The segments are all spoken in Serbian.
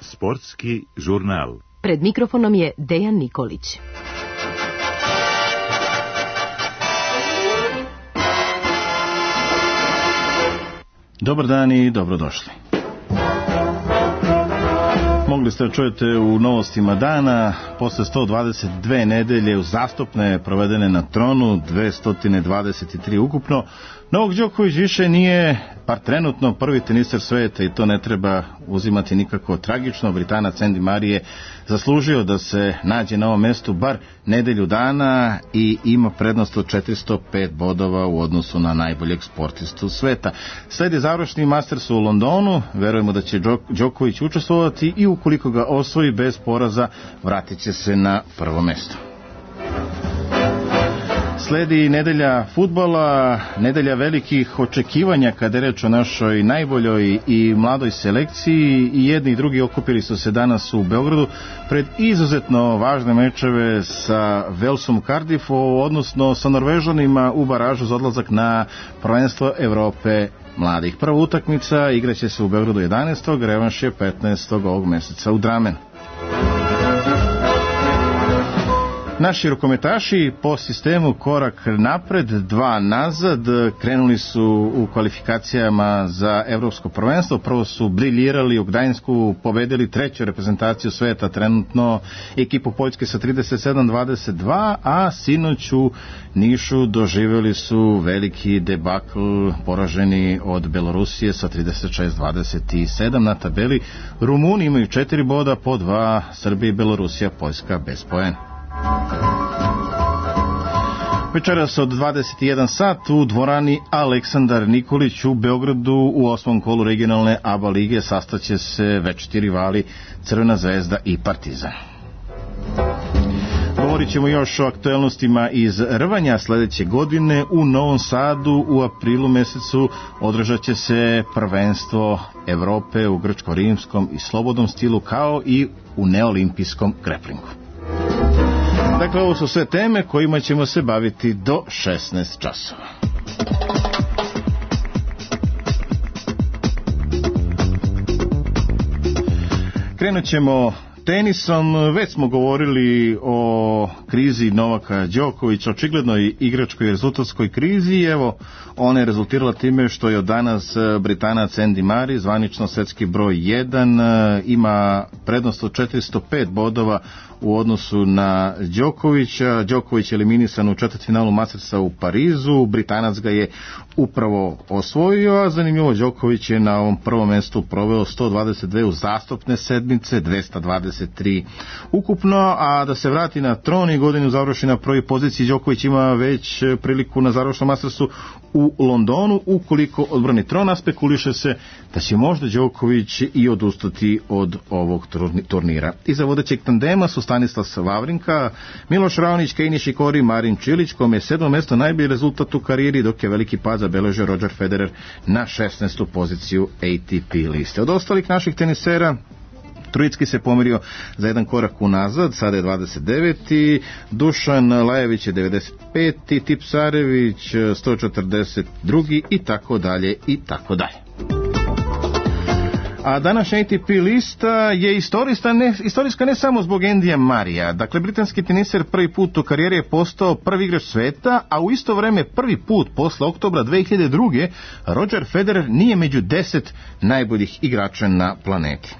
Sportski žurnal. Pred mikrofonom je Dejan Nikolić. Dobar dan i dobrodošli. Mogli ste čujete u novostima dana, posle 122 nedelje uzastopne provedene na tronu, 223 ukupno, Novak Đoković više nije, par trenutno, prvi teniser sveta i to ne treba uzimati nikako tragično. Britanac Andy Murray je zaslužio da se nađe na ovom mestu bar nedelju dana i ima prednost od 405 bodova u odnosu na najboljeg sportistu sveta. Sledi završni Masters u Londonu, verujemo da će Đoković učestvovati i ukoliko ga osvoji bez poraza, vratit će se na prvo mesto. Sledi nedelja fudbala, nedelja velikih očekivanja kada je reč o našoj najboljoj i mladoj selekciji. I jedni i drugi okupili su se danas u Beogradu pred izuzetno važne mečeve sa Walesom Cardiffu, odnosno sa Norvežanima u baražu za odlazak na prvenstvo Evrope mladih. Prva utakmica igraće se u Beogradu 11. revanš je 15. ovog meseca u Dramenu. Naši rukometaši po sistemu korak napred, dva nazad, krenuli su u kvalifikacijama za evropsko prvenstvo. Prvo su briljirali u Gdańsku, pobedili treću reprezentaciju sveta, trenutno ekipu Poljske sa 37-22, a sinoć u Nišu doživjeli su veliki debakl, poraženi od Belorusije sa 36-27 na tabeli. Rumuni imaju 4 boda, po 2 Srbija i Belorusija, Poljska bez poena. Večeras od 21 sat u dvorani Aleksandar Nikolić u Beogradu u 8. kolu regionalne ABA lige sastaće se večiti rivali Crvena zvezda i Partizan. Govorit ćemo još o aktuelnostima iz rvanja. Sledeće godine u Novom Sadu u aprilu mesecu održat će se prvenstvo Evrope u grčko-rimskom i slobodnom stilu, kao i u neolimpijskom greplingu. Dakle, ovo su sve teme kojima ćemo se baviti do 16 časova. Krenut ćemo tenisom. Već smo govorili o krizi Novaka Đokovića, očiglednoj igračkoj i rezultatskoj krizi. Evo, ona je rezultirala time što je od danas Britanac Andy Murray, zvanično svetski broj 1, ima prednost od 405 bodova u odnosu na Đokovića. Đoković je eliminisan u četvrtfinalu Mastersa u Parizu, Britanac ga je upravo osvojio, a zanimljivo, Đoković je na ovom prvom mestu proveo 122 uzastopne sedmice, 223 ukupno, a da se vrati na tron i godinu završi na prvoj poziciji. Đoković ima već priliku na završnom Mastersu u Londonu. Ukoliko odbrani tron, a spekuliše se da će možda Đoković i odustati od ovog turnira. Iza vodećeg tandema su Stanislav Wawrinka, Miloš Raonić, Kei Nishikori, Marin Čilić, kome je 7. mesto najbolji rezultat u karijeri, dok je veliki pad zabeležio Roger Federer na 16. poziciju ATP liste. Od ostalih naših tenisera, Trojicki se pomerio za jedan korak unazad, sada je 29. Dušan Lajević je 95. Tipsarević 142. i tako dalje i tako dalje. A današnja ATP lista je istorijska ne samo zbog Andyja Murraya. Dakle, britanski teniser prvi put u karijeri je postao prvi igrač sveta, a u isto vreme prvi put posle oktobra 2002. Roger Federer nije među 10 najboljih igrača na planeti.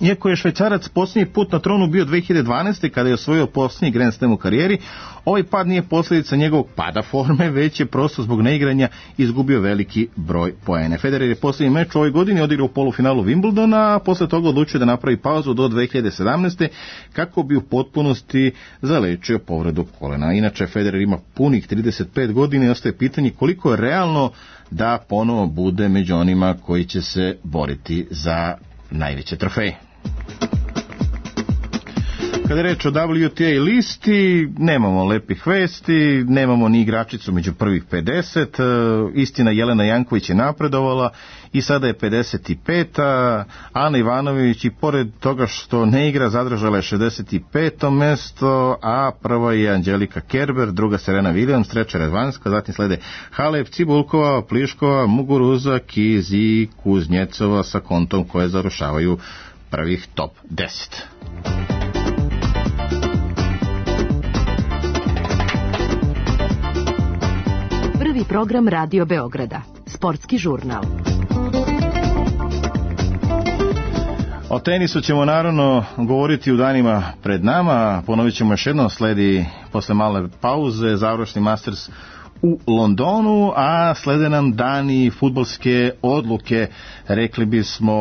Iako je Švajcarac posljednji put na tronu bio 2012. kada je osvojio posljednji Grand Slam u karijeri, ovaj pad nije posljedica njegovog pada forme, već je prosto zbog neigranja izgubio veliki broj poena. Federer je posljednji meč u ovoj godini odigrao u polufinalu Wimbledona, a posle toga odlučio da napravi pauzu do 2017. kako bi u potpunosti zalečio povredu kolena. Inače, Federer ima punih 35 godina i ostaje pitanje koliko je realno da ponovo bude među onima koji će se boriti za najveće trofeje. Kada je reč o WTA listi, nemamo lepih vesti, nemamo ni igračicu među prvih 50, istina Jelena Janković je napredovala i sada je 55. Ana Ivanović i pored toga što ne igra zadržala je 65. mesto, a prva je Anđelika Kerber, druga Serena Williams, treća Radvanska, zatim slede Halep, Cibulkova, Pliškova, Muguruza, Kiz i Kuznjecova sa kontom koje zarušavaju prvih top 10. Prvi program Radio Beograda. Sportski žurnal. O tenisu ćemo naravno govoriti u danima pred nama. Ponovit ćemo još jednom, sledi posle male pauze završni Masters u Londonu, a slede nam dani fudbalske odluke, rekli bismo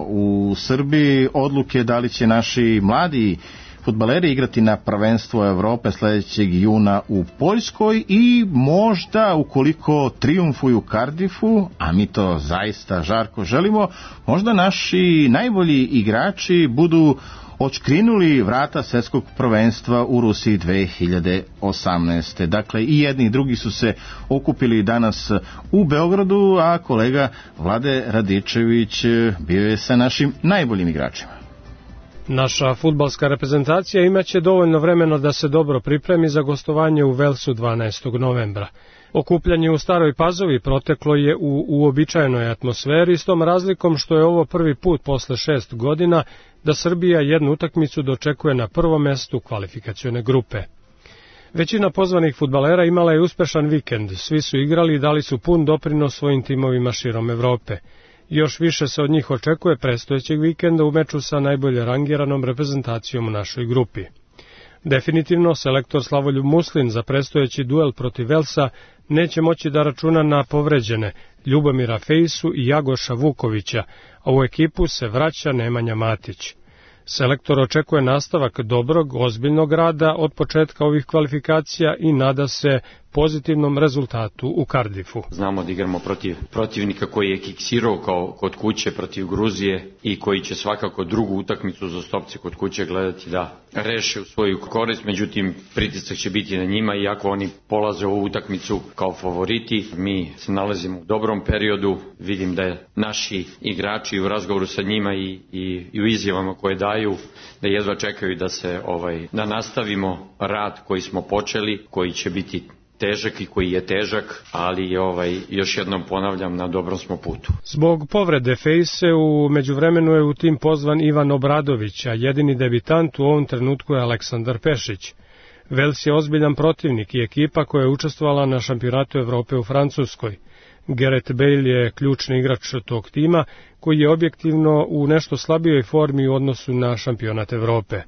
u Srbiji, odluke da li će naši mladi fudbaleri igrati na prvenstvo Evrope sledećeg juna u Poljskoj i možda ukoliko trijumfuju u Cardiffu, a mi to zaista žarko želimo, možda naši najbolji igrači budu odškrinuli vrata svjetskog prvenstva u Rusiji 2018. Dakle, i jedni i drugi su se okupili danas u Beogradu, a kolega Vlade Radičević bio je sa našim najboljim igračima. Naša fudbalska reprezentacija imaće dovoljno vremena da se dobro pripremi za gostovanje u Velsu 12. novembra. Okupljanje u Staroj Pazovi proteklo je u uobičajenoj atmosferi, s tom razlikom što je ovo prvi put posle 6 godina da Srbija jednu utakmicu dočekuje na prvom mestu kvalifikacione grupe. Većina pozvanih fudbalera imala je uspešan vikend, svi su igrali i dali su pun doprinos svojim timovima širom Evrope. Još više se od njih očekuje predstojećeg vikenda u meču sa najbolje rangiranom reprezentacijom u našoj grupi. Definitivno, selektor Slavoljub Muslin za predstojeći duel protiv Velsa neće moći da računa na povređene Ljubomira Fejsu i Jagoša Vukovića, a u ekipu se vraća Nemanja Matić. Selektor očekuje nastavak dobrog, ozbiljnog rada od početka ovih kvalifikacija i nada se pozitivnom rezultatu u Cardiffu. Znamo da igramo protiv protivnika koji je kiksirao kao kod kuće protiv Gruzije i koji će svakako drugu utakmicu za stopce kod kuće gledati da reše u svoju korist, međutim pritisak će biti na njima, iako oni polaze ovu utakmicu kao favoriti. Mi se nalazimo u dobrom periodu, vidim da je naši igrači u razgovoru sa njima i u izjavama koje daju da jedva čekaju da se da nastavimo rad koji smo počeli, koji će biti težak i koji je težak, ali još jednom ponavljam, na dobrom smo putu. Zbog povrede Fejse u međuvremenu je u tim pozvan Ivan Obradović, a jedini debitant u ovom trenutku je Aleksandar Pešić. Vels je ozbiljan protivnik i ekipa koja je učestvovala na šampionatu Evrope u Francuskoj. Gareth Bale je ključni igrač tog tima, koji je objektivno u nešto slabijoj formi u odnosu na šampionat Evrope.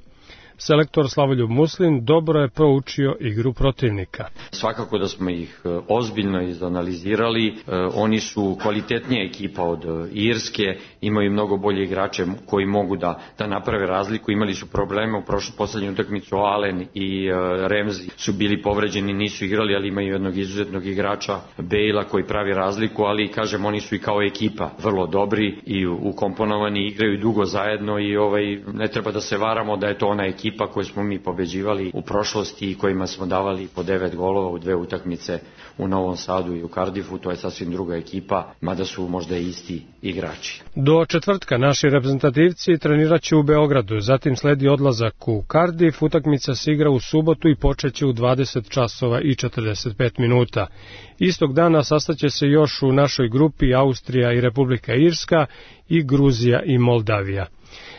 Selektor Slavoljub Muslin dobro je proučio igru protivnika. Svakako da smo ih ozbiljno izanalizirali, oni su kvalitetnija ekipa od Irske, imaju mnogo bolje igrače koji mogu da naprave razliku, imali su probleme u poslednju utakmicu, Allen i Ramsey su bili povređeni, nisu igrali, ali imaju jednog izuzetnog igrača, Bale-a koji pravi razliku, ali kažem, oni su i kao ekipa vrlo dobri i ukomponovani, igraju dugo zajedno i ne treba da se varamo da je to ona ekipa koje smo mi pobeđivali u prošlosti i kojima smo davali po 9 golova u 2 utakmice u Novom Sadu i u Cardiffu. To je sasvim druga ekipa, mada su možda i isti igrači. Do četvrtka naši reprezentativci trenirat će u Beogradu, zatim sledi odlazak u Cardiff, utakmica se igra u subotu i počeće u 20 časova i 45 minuta. Istog dana sastaće se još u našoj grupi Austrija i Republika Irska i Gruzija i Moldavija.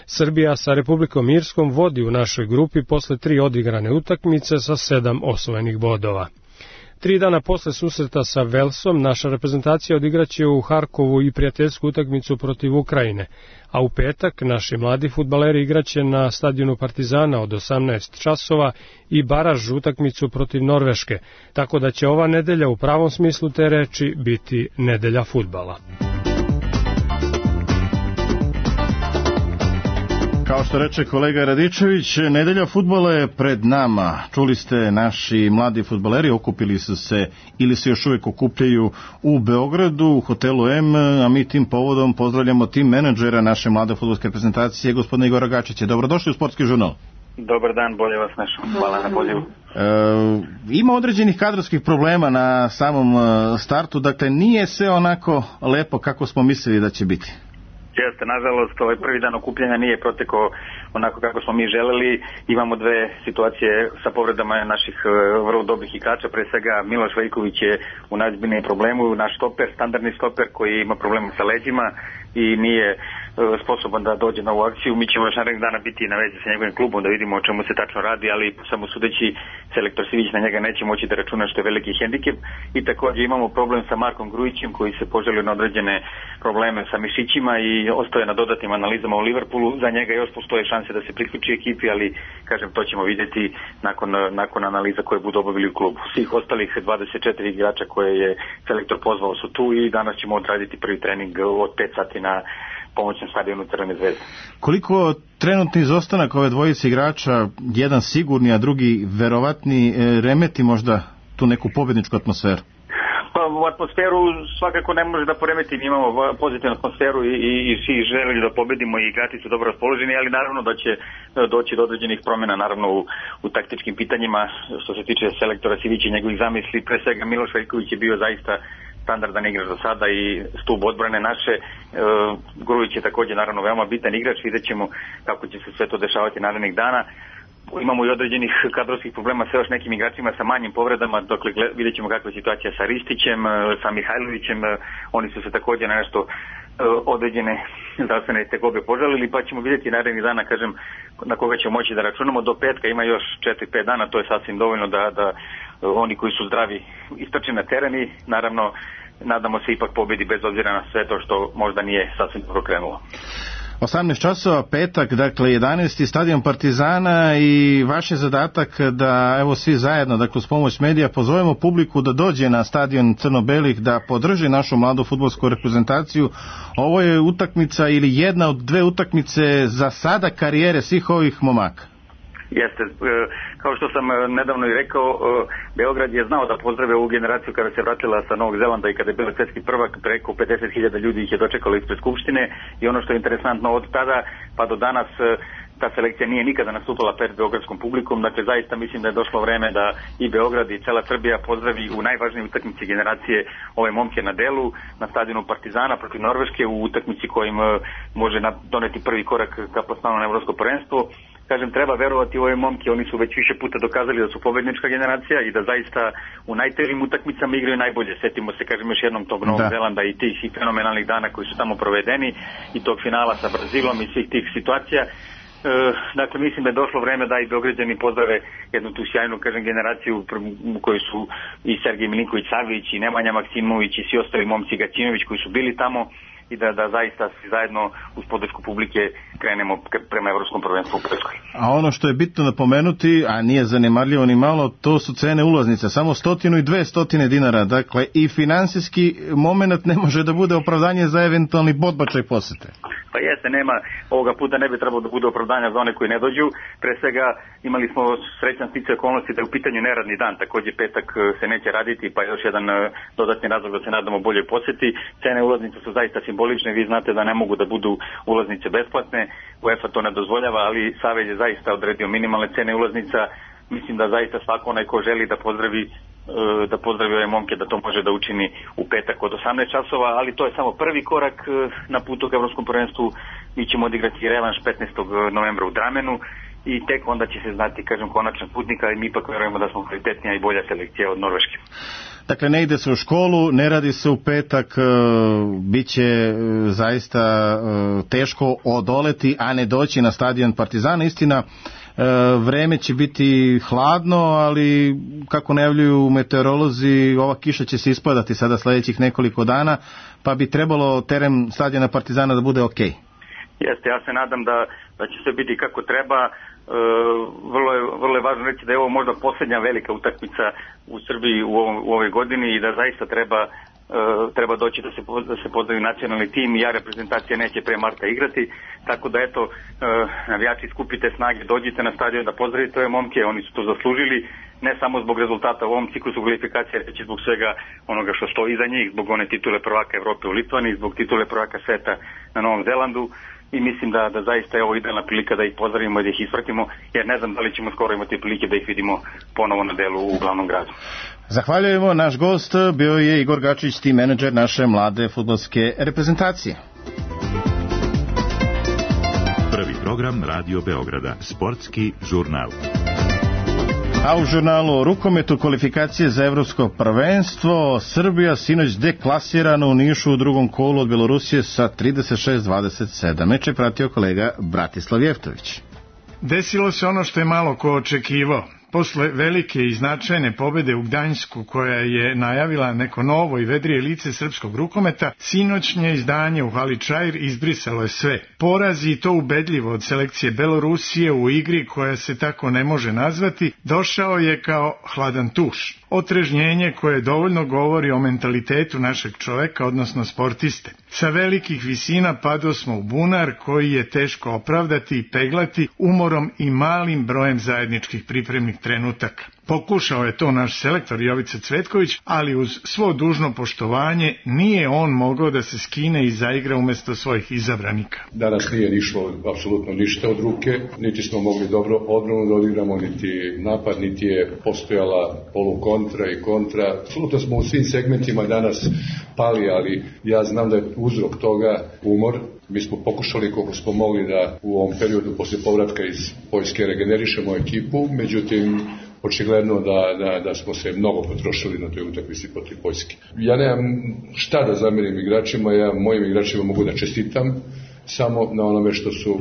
Srbija sa Republikom Irskom vodi u našoj grupi posle 3 odigrane utakmice sa 7 osvojenih bodova. 3 dana posle susreta sa Velsom naša reprezentacija odigraće u Harkovu i prijateljsku utakmicu protiv Ukrajine, a u petak naši mladi fudbaleri igraće na stadionu Partizana od 18 časova i baraž utakmicu protiv Norveške, tako da će ova nedelja u pravom smislu te reči biti nedelja fudbala. Kao što reče kolega Radičević, nedelja fudbala je pred nama. Čuli ste, naši mladi fudbaleri okupili su se ili se još uvijek okupljaju u Beogradu, u hotelu M, a mi tim povodom pozdravljamo tim menadžera naše mlade fudbalske reprezentacije, gospodina Igora Gačića. Dobrodošli u Sportski žurnal. Dobar dan, bolje vas našao. Hvala na pozivu. Ima određenih kadrovskih problema na samom startu, dakle nije sve onako lepo kako smo mislili da će biti. Jeste, nažalost, ovaj prvi dan okupljanja nije protekao onako kako smo mi želeli. Imamo dve situacije sa povredama naših vrlo dobrih igrača. Pre svega Miloš Veljković je u najozbiljnijem problemu, naš stoper, standardni stoper koji ima problema sa leđima i nije sposoban da dođe na ovu akciju. Mi ćemo još narednih dana biti na vezi sa njegovim klubom da vidimo o čemu se tačno radi, ali samo sudeći selektor Sivić na njega neće moći da računa, što je veliki hendikep. I također imamo problem sa Markom Grujićem koji se poželio na određene probleme sa mišićima i ostaje na dodatnim analizama u Liverpoolu. Za njega još postoje šanse da se priključi ekipi, ali kažem, to ćemo vidjeti nakon analiza koje budu obavili u klubu. Svih ostalih 24 igrača koje je selektor pozvao su tu i danas ćemo odraditi prvi trening od 5 sati na pomoćnom stadionu Crvene zvezde. Koliko trenutni izostanak ove dvojice igrača, jedan sigurni, a drugi verovatni, remeti možda tu neku pobjedničku atmosferu? Pa u atmosferu svakako ne može da poremeti, mi imamo pozitivnu atmosferu i svi želeli da pobedimo i igrači su dobro raspoloženi, ali naravno da će doći do određenih promjena naravno u taktičkim pitanjima što se tiče selektora Sivića i njegovih zamisli. Pre svega Miloš Veljković je bio zaista standardan igrač do sada i stub odbrane naše. Grujić je također naravno veoma bitan igrač, vidjet ćemo kako će se sve to dešavati narednih dana. Imamo i određenih kadrovskih problema sa još nekim igračima sa manjim povredama, dokle vidjet ćemo kakva je situacija sa Ristićem, sa Mihajlovićem, oni su se također na nešto određene zdravstvene tegobe požalili, pa ćemo vidjeti narednih dana, kažem, na koga ćemo moći da računamo. Do petka ima još 4-5 dana, to je sasvim dovoljno da oni koji su zdravi istrče na teren i naravno nadamo se ipak pobjedi bez obzira na sve to što možda nije sasvim dobro krenulo. 18 časova, petak, dakle 11. stadion Partizana i vaš je zadatak da evo svi zajedno, dakle uz pomoć medija, pozovemo publiku da dođe na stadion Crno-belih, da podrži našu mladu fudbalsku reprezentaciju. Ovo je utakmica ili jedna od dve utakmice za sada karijere svih ovih momaka. Jeste, kao što sam nedavno i rekao, Beograd je znao da pozdrave ovu generaciju kada se vratila sa Novog Zelanda i kada je bila svjetski prvak, preko 50.000 ljudi ih je dočekalo ispred Skupštine i ono što je interesantno od tada pa do danas ta selekcija nije nikada nastupala pred beogradskom publikom, dakle zaista mislim da je došlo vreme da i Beograd i cela Srbija pozdravi u najvažnijoj utakmici generacije ove momke na delu, na stadionu Partizana protiv Norveške, u utakmici kojim može doneti prvi korak ka plasmanu na evropsko prvenstvo. Kažem, treba verovati u ove momke, oni su već više puta dokazali da su pobednička generacija i da zaista u najtežim utakmicama igraju najbolje. Setimo se, kažem, još jednom tog Novog Zelanda i tih fenomenalnih dana koji su tamo provedeni i tog finala sa Brazilom i svih tih situacija. Dakle, mislim da je došlo vreme da i Beograđani pozdrave jednu tu sjajnu, kažem, generaciju u kojoj su i Sergej Milinković-Savić i Nemanja Maksimović i svi ostali momci, Gacinović koji su bili tamo i da zaista svi zajedno uz podršku publike krenemo prema evropskom prvenstvu u Poljskoj. A ono što je bitno napomenuti, a nije zanemarljivo ni malo, to su cene ulaznica, samo 100 i 200 dinara, dakle i finansijski moment ne može da bude opravdanje za eventualni podbačaj posete. Pa jeste, nema, ovoga puta ne bi trebalo da bude opravdanja za one koji ne dođu. Pre svega imali smo srećan sticaj okolnosti da je u pitanju neradni dan, također petak se neće raditi, pa još jedan dodatni razlog da se nadamo boljoj posjeti. Cene ulaznica su zaista simbolične, vi znate da ne mogu da budu ulaznice besplatne, UEFA to ne dozvoljava, ali Savez je zaista odredio minimalne cene ulaznica. Mislim da zaista svako onaj ko želi da pozdravi ove momke, da to može da učini u petak od 18 časova, ali to je samo prvi korak na putu ka evropskom prvenstvu. Mi ćemo odigrati revanš 15. novembra u Dramenu i tek onda će se znati, kažem, konačan putnika i mi ipak verujemo da smo kvalitetnija i bolja selekcija od Norveške. Dakle, ne ide se u školu, ne radi se u petak, bit će zaista teško odoleti, a ne doći na stadion Partizana. Istina, vreme će biti hladno, ali kako najavljuju meteorolozi, ova kiša će se ispadati sada sljedećih nekoliko dana, pa bi trebalo teren stadiona Partizana da bude okej. Jeste, ja se nadam da će sve biti kako treba. Vrlo je važno reći da je ovo možda posljednja velika utakmica u Srbiji u ovoj godini i da zaista treba doći da se pozdravi nacionalni tim. Ja reprezentacija neće pre marta igrati, tako da eto, navijači, skupite snage, dođite na stadion da pozdravite ove momke, oni su to zaslužili, ne samo zbog rezultata u ovom ciklusu kvalifikacije, već i zbog svega onoga što stoji iza njih, zbog one titule prvaka Evrope u Litvani, zbog titule prvaka sveta na Novom Zelandu. i mislim da zaista je ovo idealna prilika da ih pozdravimo i da ih ispratimo, jer ne znam da li ćemo skoro imati prilike da ih vidimo ponovo na delu u glavnom gradu. Zahvaljujemo, naš gost bio je Igor Gačić, team menadžer naše mlade fudbalske reprezentacije. Prvi program Radio Beograda, sportski žurnal. A u žurnalu o rukometu kvalifikacije za evropsko prvenstvo, Srbija sinoć deklasirana u Nišu u drugom kolu od Belorusije sa 36-27. Meč je pratio kolega Bratislav Jeftović. Desilo se ono što je malo ko očekivao. Posle velike i značajne pobede u Gdańsku, koja je najavila neko novo i vedrije lice srpskog rukometa, sinoćnje izdanje u hali Čair izbrisalo je sve. Poraz, i to ubedljivo, od selekcije Belorusije u igri koja se tako ne može nazvati, došao je kao hladan tuš. Otrežnjenje koje dovoljno govori o mentalitetu našeg čoveka, odnosno sportiste. Sa velikih visina padosmo u bunar koji je teško opravdati i peglati umorom i malim brojem zajedničkih pripremnih trenutaka. Pokušao je to naš selektor Jovica Cvetković, ali uz svo dužno poštovanje nije on mogao da se skine i zaigra umesto svojih izabranika. Danas nije išlo apsolutno ništa od ruke, niti smo mogli dobro odbranu da odigramo, niti napad, niti je postojala polukontra i kontra. Apsolutno smo u svim segmentima danas pali, ali ja znam da je uzrok toga umor. Mi smo pokušali koliko smo mogli da u ovom periodu posle povratka iz Poljske regenerišemo ekipu, međutim očigledno da smo se mnogo potrošili na toj utakmici protiv Poljske. Ja nemam šta da zamerim igračima, ja mojim igračima mogu da čestitam samo na onome što su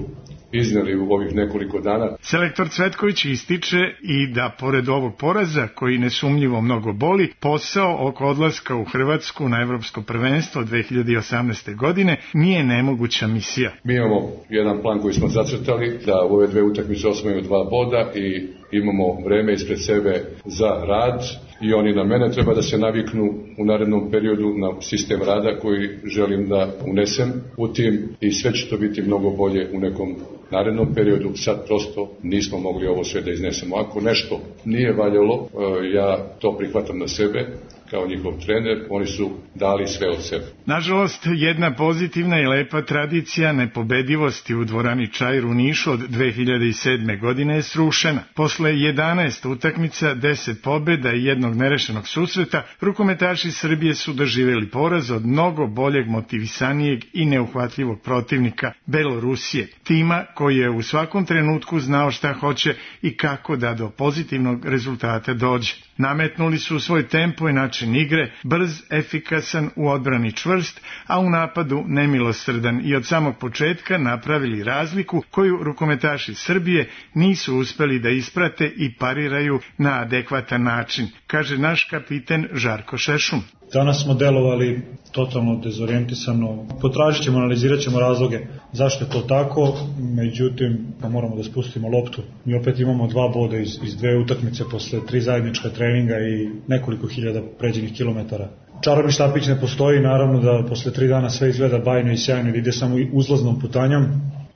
izneli u ovih nekoliko dana. Selektor Cvetković ističe i da pored ovog poraza, koji nesumnjivo mnogo boli, posao oko odlaska u Hrvatsku na evropsko prvenstvo 2018. godine nije nemoguća misija. Mi imamo jedan plan koji smo zacrtali, da u ove dve utakmice osvojimo 2 boda i imamo vreme ispred sebe za rad i oni na mene treba da se naviknu u narednom periodu na sistem rada koji želim da unesem u tim i sve će to biti mnogo bolje u nekom narednom periodu. Sad prosto nismo mogli ovo sve da iznesemo. Ako nešto nije valjalo, ja to prihvatam na sebe kao njihov trener, oni su dali sve od sebe. Nažalost, jedna pozitivna i lepa tradicija nepobedivosti u dvorani Čair u Nišu od 2007. godine je srušena. Posle 11 utakmica, 10 pobeda i jednog nerešenog susreta, rukometaši Srbije su doživjeli poraz od mnogo boljeg, motivisanijeg i neuhvatljivog protivnika, Belorusije, tima koji je u svakom trenutku znao šta hoće i kako da do pozitivnog rezultata dođe. Nametnuli su svoj tempo i način igre, brz, efikasan, u odbrani čvrst, a u napadu nemilosrdan, i od samog početka napravili razliku koju rukometaši Srbije nisu uspeli da isprate i pariraju na adekvatan način, kaže naš kapiten Žarko Šešum. Danas smo delovali totalno dezorijentisano, potražit ćemo, analizirat ćemo razloge zašto je to tako, međutim moramo da spustimo loptu. Mi opet imamo 2 boda iz 2 utakmice posle 3 zajednička treninga i nekoliko hiljada pređenih kilometara. Čarobni štapić ne postoji, naravno da posle 3 dana sve izgleda bajno i sjajno, ide samo uzlaznom putanjom.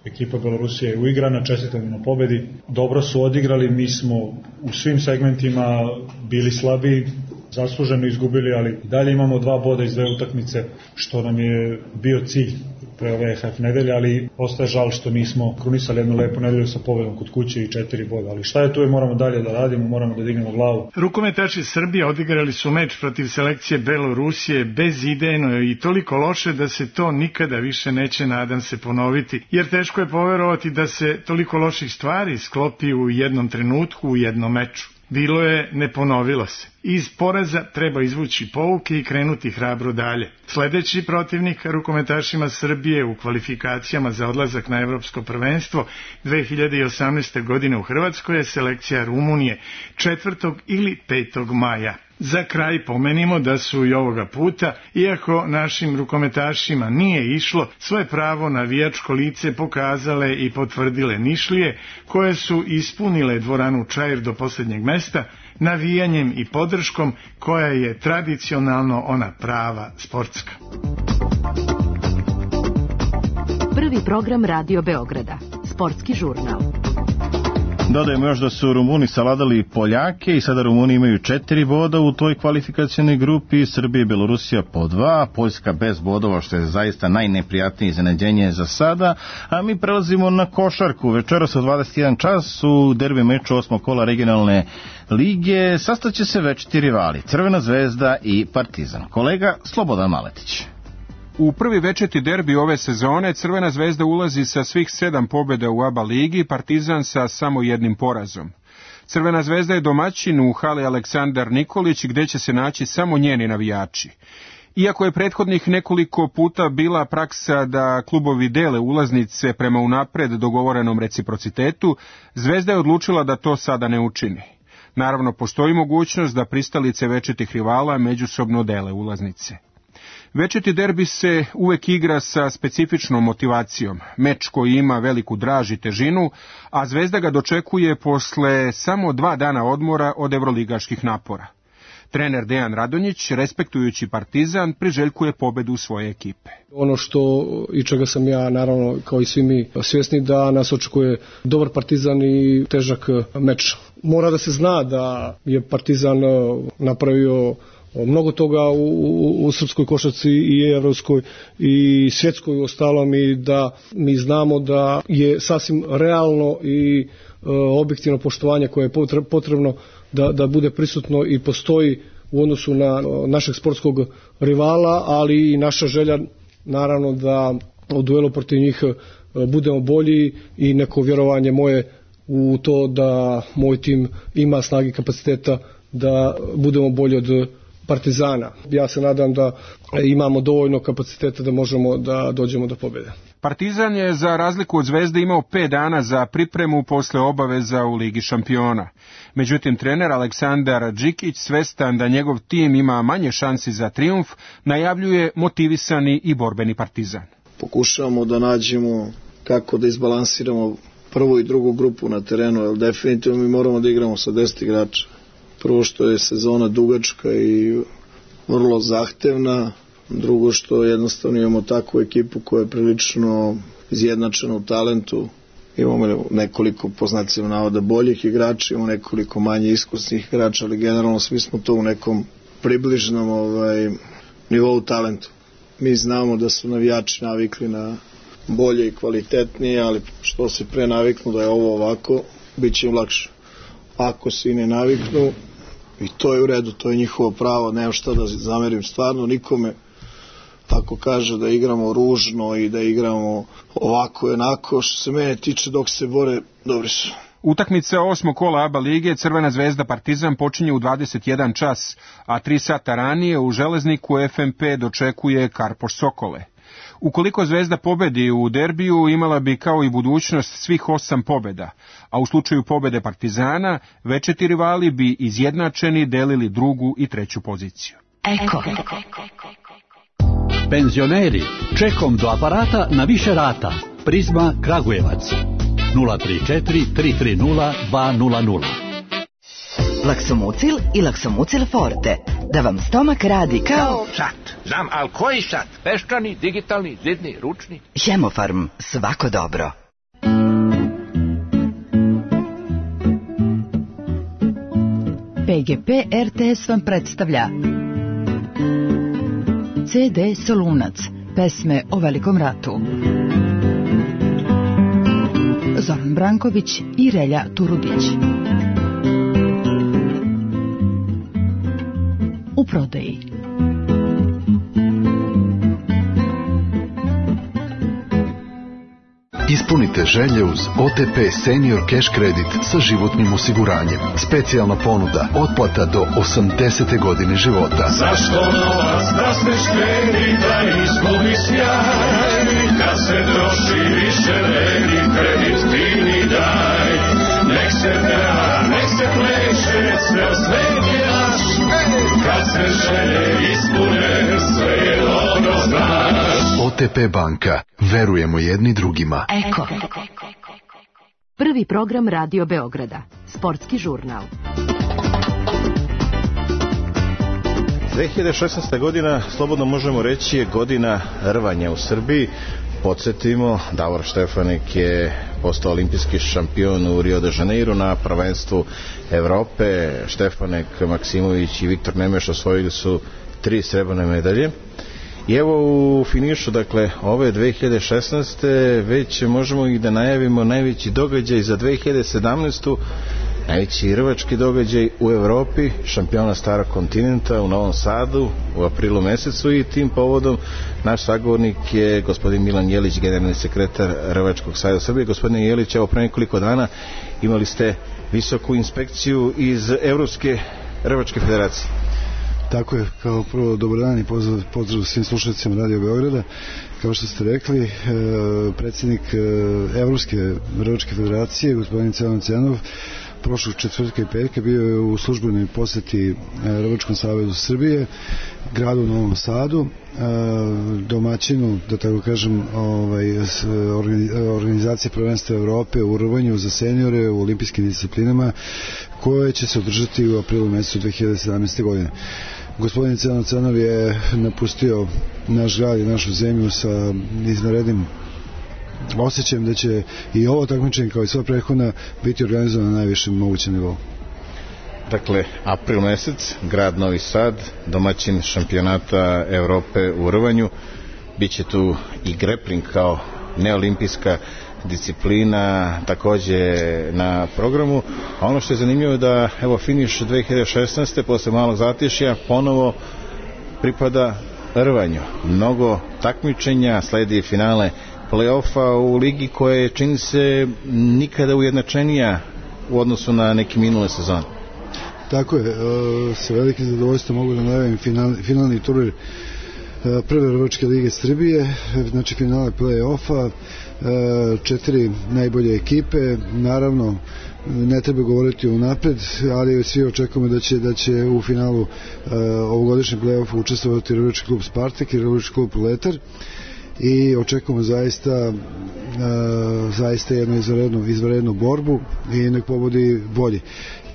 Ekipa Belorusije je uigrana, čestitam na pobedi. Dobro su odigrali, mi smo u svim segmentima bili slabiji, zasluženo izgubili, ali dalje imamo 2 boda iz 2 utakmice, što nam je bio cilj pre ove EHF nedelje, ali ostaje žal što nismo krunisali jednu lepu nedelju sa pobedom kod kuće i 4 boda. Ali šta je tu, moramo dalje da radimo, moramo da dignemo glavu. Rukometaši Srbije odigrali su meč protiv selekcije Belorusije bezidejno i toliko loše da se to nikada više neće, nadam se, ponoviti, jer teško je poverovati da se toliko loših stvari sklopi u jednom trenutku, u jednom meču. Bilo je, ne ponovilo se. Iz poraza treba izvući pouke i krenuti hrabro dalje. Sledeći protivnik rukometašima Srbije u kvalifikacijama za odlazak na evropsko prvenstvo 2018. godine u Hrvatskoj je selekcija Rumunije 4. ili 5. maja. Za kraj pomenimo da su i ovoga puta, iako našim rukometašima nije išlo, svoje pravo navijačko lice pokazale i potvrdile Nišlije, koje su ispunile dvoranu Čair do posljednjeg mesta, navijanjem i podrškom koja je tradicionalno ona prava sportska. Prvi program Radio Beograda, sportski žurnal. Dodajemo još da su Rumuni savladali Poljake i sada Rumuni imaju 4 boda u toj kvalifikacionoj grupi, Srbija i Belorusija po 2, Poljska bez bodova, što je zaista najneprijatnije iznenađenje za sada, a mi prelazimo na košarku. Večeras u 21 čas u derbi meču 8. kola regionalne lige sastaće se večiti rivali Crvena zvezda i Partizan. Kolega Slobodan Maletić. U prvi večeti derbi ove sezone Crvena zvezda ulazi sa svih 7 pobjeda u ABA ligi, Partizan sa samo 1 porazom. Crvena zvezda je domaćin u hali Aleksandar Nikolić, gdje će se naći samo njeni navijači. Iako je prethodnih nekoliko puta bila praksa da klubovi dele ulaznice prema unapred dogovorenom reciprocitetu, Zvezda je odlučila da to sada ne učini. Naravno, postoji mogućnost da pristalice večitih rivala međusobno dele ulaznice. Večiti derbi se uvek igra sa specifičnom motivacijom, meč koji ima veliku draž i težinu, a Zvezda ga dočekuje posle samo 2 dana odmora od evroligaških napora. Trener Dejan Radonjić, respektujući Partizan, priželjkuje pobedu svoje ekipe. Ono što i čega sam ja, naravno, kao i svi mi, svjesni da nas očekuje dobar Partizan i težak meč. Mora da se zna da je Partizan napravio mnogo toga u srpskoj košarci i evropskoj i svjetskoj u ostalom, i da mi znamo da je sasvim realno i objektivno poštovanje koje je potrebno da bude prisutno i postoji u odnosu na našeg sportskog rivala, ali i naša želja naravno da u duelu protiv njih budemo bolji i neko vjerovanje moje u to da moj tim ima snage i kapaciteta da budemo bolji od Partizana. Ja se nadam da imamo dovoljno kapaciteta da možemo da dođemo do pobjede. Partizan je za razliku od Zvezde imao 5 dana za pripremu posle obaveza u Ligi šampiona. Međutim, trener Aleksandar Džikić, svestan da njegov tim ima manje šansi za trijumf, najavljuje motivisani i borbeni Partizan. Pokušavamo da nađemo kako da izbalansiramo prvu i drugu grupu na terenu, jer definitivno mi moramo da igramo sa 10 igrača. Prvo što je sezona dugačka i vrlo zahtevna, drugo što jednostavno imamo takvu ekipu koja je prilično izjednačena u talentu. Imamo nekoliko, po znacima navoda, boljih igrača, imamo nekoliko manje iskusnih igrača, ali generalno svi smo to u nekom približnom nivou talentu. Mi znamo da su navijači navikli na bolje i kvalitetnije, ali što se pre naviknu da je ovo ovako, bit će im lakše. Ako se i ne naviknu, i to je u redu, to je njihovo pravo, nema šta da zamerim stvarno nikome ako kaže da igramo ružno i da igramo ovako i onako. Što se mene tiče, dok se bore, dobri su. Utakmica 8. kola ABA lige Crvena zvezda Partizan počinje u 21 čas, a 3 sata ranije u Železniku FNP dočekuje Karpoš Sokole. Ukoliko Zvezda pobedi u derbiju, imala bi kao i budućnost svih 8 pobjeda, a u slučaju pobjede Partizana, večiti rivali bi izjednačeni delili 2. i 3. poziciju. Eko. Penzioneri, čekom do aparata na više rata. Prizma Kragujevac. 034 330 200. Laksomucil i Laksomucil Forte. Da vam stomak radi kao sat. Znam, ali koji sat? Peščani, digitalni, zidni, ručni? Hemofarm, svako dobro. PGP RTS vam predstavlja CD Solunac, pesme o Velikom ratu. Zoran Branković i Relja Turudić. U prodaji. Ispunite želje uz OTP Senior Cash Credit sa životnim osiguranjem. Specijalna ponuda, otplata do 80. godine života. Zašto novac da se štedi, da izgubi sjaj? Kad se troši više vredi, kredit ti mi daj. Nek se peva, nek se pleše, ceo svet je naš. Kad se želje ispune, sve je dobro znaš. OTP banka. Verujemo jedni drugima. Eko. Prvi program Radio Beograda. Sportski žurnal. 2016. godina, slobodno možemo reći, je godina rvanja u Srbiji. podsjetimo, Davor Štefanik je postao olimpijski šampion u Rio de Janeiro na prvenstvu Evrope. Štefanik, Maksimović i Viktor Nemeš osvojili su 3 srebrne medalje. I evo u finišu, dakle, ove 2016. već možemo i da najavimo najveći događaj za 2017. Najveći rvački događaj u Evropi, šampiona Starog kontinenta u Novom Sadu u aprilu mesecu, i tim povodom naš sagovornik je gospodin Milan Jelić, generalni sekretar Rvačkog saveza Srbije. Gospodine Jelić, evo pre nekoliko dana imali ste visoku inspekciju iz Evropske rvačke federacije. Tako je, kao prvo dobar dan i pozdrav svim slušateljima Radio Beograda. Kao što ste rekli, predsjednik Evropske rvačke federacije, gospodin Cenon Cenov, prošlog četvrtka i petka bio je u službenoj poseti Rvačkom savezu Srbije, gradu u Novom Sadu, domaćinu, da tako kažem, organizacije prvenstva Evrope u rvanju za seniore u olimpijskim disciplinama, koje će se održati u aprilu mesecu 2017. godine. Gospodin Cenon Cenov je napustio naš grad i našu zemlju sa izvanrednim osjećajem da će i ovo takmičenje kao i sva prethodna biti organizovano na najvišem mogućem nivou. Dakle, april mesec, grad Novi Sad, domaćin šampionata Evrope u rvanju. Biće tu i grappling kao neolimpijska disciplina takođe na programu. A ono što je zanimljivo je da evo finiš 2016. posle malog zatišja ponovo pripada rvanju. Mnogo takmičenja, sledi finale play-offa u ligi koja je, čini se, nikada ujednačenija u odnosu na neke minule sezone. Tako je, sa velikim zadovoljstvom mogu da najavim finalni turnir prve Rvačke lige Srbije, znači finale play-offa, 4 najbolje ekipe. Naravno, ne treba govoriti unapred, ali svi očekujemo da će u finalu ovogodišnjeg play-offa učestvovati Rvački klub Spartak i Rvački klub Letar, i očekujemo zaista jednu izvanrednu borbu i nek pobodi bolji.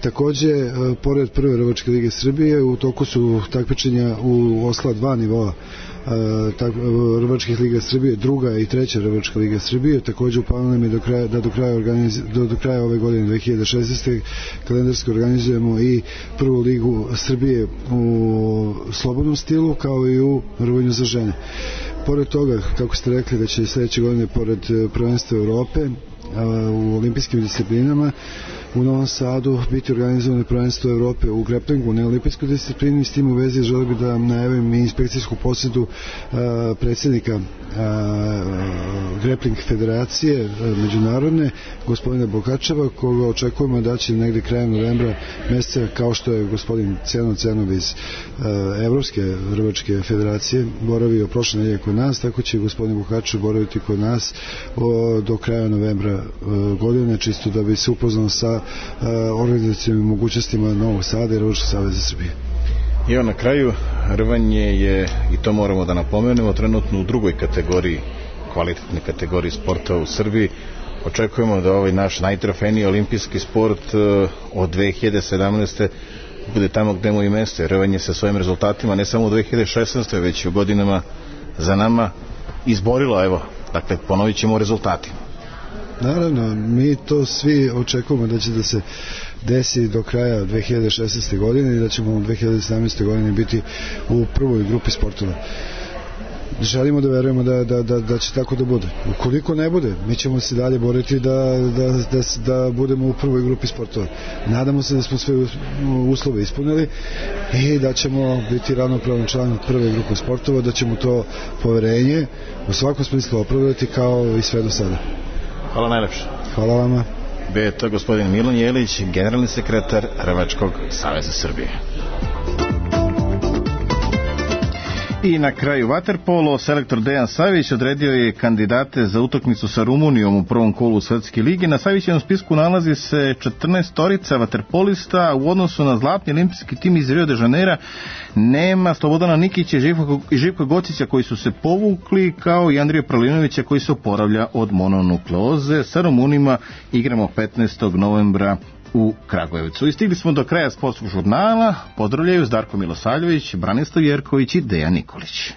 Takođe, pored prve Rvačke lige Srbije, u toku su takmičenja u ostala 2 nivoa Rvačkih liga Srbije, druga i treća Rvačka liga Srbije. Takođe, u planu nam je do kraja ove godine 2016. kalendarski organizujemo i prvu ligu Srbije u slobodnom stilu, kao i u rvanju za žene. Pored toga, kako ste rekli, da će sledeće godine, pored prvenstva Evrope u olimpijskim disciplinama, u Novom Sadu biti organizovano prvenstvo Evrope u grapplingu, neolimpijskoj disciplini. S tim u vezi želim da najavim i inspekcijsku posjetu predsjednika grappling federacije međunarodne, gospodina Bokačeva, koga očekujemo da će negde krajem novembra meseca, kao što je gospodin Cenon Cenov iz Evropske rvačke federacije boravio prošle nedelje kod nas, tako će gospodin Bokačev boraviti kod nas do kraja novembra godine, čisto da bi se upoznao sa organizacijom i mogućnostima Novog Sada i Rvačkog saveza Srbije. I evo na kraju, rvanje je, i to moramo da napomenemo, trenutno u drugoj kategoriji, kvalitetne kategoriji sporta u Srbiji. Očekujemo da ovaj naš najtrofejniji olimpijski sport od 2017. bude tamo gde mu i mesto. Rvanje sa svojim rezultatima ne samo u 2016. već i u godinama za nama izborilo, evo, dakle ponovit ćemo rezultati. Naravno, mi to svi očekujemo da će da se desi do kraja 2016. godine i da ćemo u 2017. godine biti u prvoj grupi sportova. Želimo da verujemo da će tako da bude. Ukoliko ne bude, mi ćemo se dalje boriti da budemo u prvoj grupi sportova. Nadamo se da smo sve uslove ispunili i da ćemo biti ravnopravan član prve grupe sportova, da ćemo to poverenje u svakom smislu opravdati kao i sve do sada. Hvala najlepše. Hvala vama. Bio je to gospodin Milan Jelić, generalni sekretar Rvačkog saveza Srbije. I na kraju vaterpolo, selektor Dejan Savić odredio je kandidate za utakmicu sa Rumunijom u prvom kolu Svetske lige. Na Savićevom spisku nalazi se 14 vaterpolista. U odnosu na zlatni olimpijski tim iz Rio de Janeira nema Slobodana Nikića i Živka Gocića koji su se povukli, kao i Andrija Pralinovića koji se oporavlja od mononukleoze. Sa Rumunima igramo 15. novembra u Kragujevcu. I stigli smo do kraja sportskog žurnala. Pozdravljaju Darko Milosavljević, Branislav Jerković i Dejan Nikolić.